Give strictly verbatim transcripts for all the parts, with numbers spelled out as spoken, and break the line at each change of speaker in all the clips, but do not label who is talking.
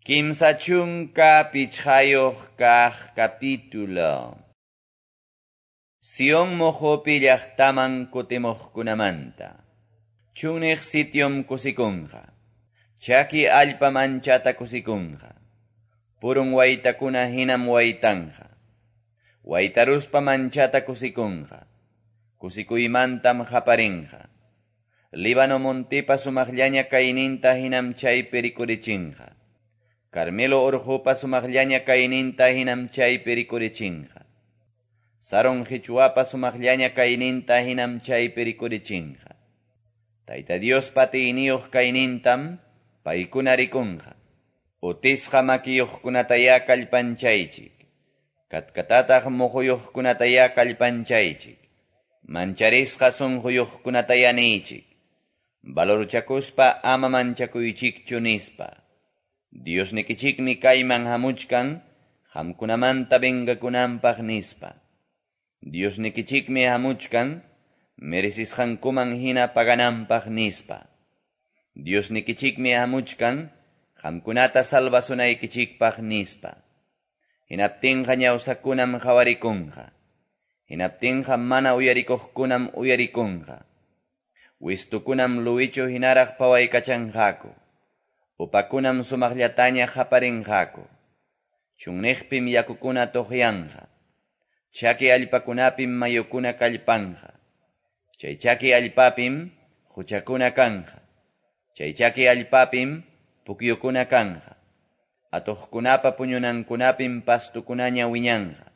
Kimsa chunka pichqayuq kaq capítulo. Sion muqupi llaqtaman kutimuqkunamanta. Chunniq sitiom kusikunqa. Chaki allpam anchata kusikunqa. Purun waytakuna hinam waytanja. Waytaruspa manchata kusikunqa. Kusikuymantam qaparinqa. Líbano montipa sumaqllaña kayninta hinam chaypi rikurichinqa. Carmelo urqupa sumaqllaña kayninta hinam chaypi rikurichinqa. Saron qichwapa sumaqllaña kayninta hinam chaypi rikurichinqa. Tayta Diospa atiyniyuq kaynintam paykuna rikunqa. Utisqa makiyuqkunatayá kallpanchaychik. Katkatataq muquyuqkunatayá kallpanchaychik. Mancharisqa sunquyuqkunatayá niychik. Valorchakuspa ama manchakuychikchu nispa. Diosnikichikmi kayman hamuchkan, qamkunamanta vengakunanpaq nispa. Diosnikichikmi hamuchkan, merecisqankuman hina pagananpaq nispa. Diosnikichikmi hamuchkan, qamkunata salvasunaykichikpaq nispa. Hinaptinqa ñawsakunam qhawarikunqa. Hinaptinqa mana uyarikuqkunam uyarikunqa. Wistukunam luwichu hinaraq pawaykachanqaku. Upakunam sumaqllataña qaparinqaku. Chunniqpim yakukuna tuqyanqa. Chaki allpakunapim mayukuna kallpanqa. Chay chaki allpapim huchakuna kanja. Chay chaki allpapim pukyukuna kanja. Atuqkunapa puñunankunapim pastukunaña wiñanja.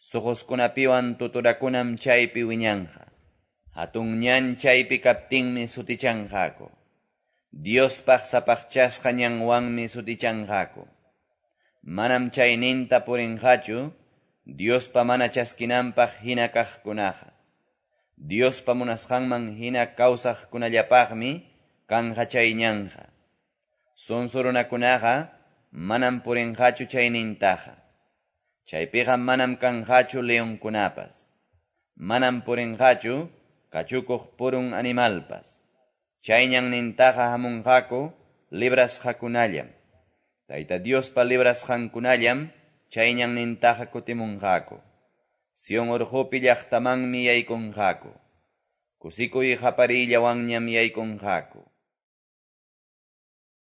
Suquskunapiwan tuturakunam chaypi wiñanja. Hatun ñan chaypi kaptinmi sutichanqaku. Diospaq sapaqchasqa ñanwanmi sutichanqaku. Manam chayninta purinqachu, Diospa mana chaskinanpaq hina kaqkunaqa. Diospa munasqanman hina kawsaqkunallapaqmi kanja chay ñanja. Sonso runakunaqa manam purinqachu chaynintaqa. Chaypiqa manam kanqachu leonkunapas. Manam purinqachu kachukuq purun animalpas. Chay ñannintaqa hamunqaku librasqakunallam. Tayta Diospa librasqankunallam chay ñannintaqa kutimunqaku. Sion urqupi llaqtamanmi yaykunqaku. Kusikuy qapariyllawanñam yaykunqaku.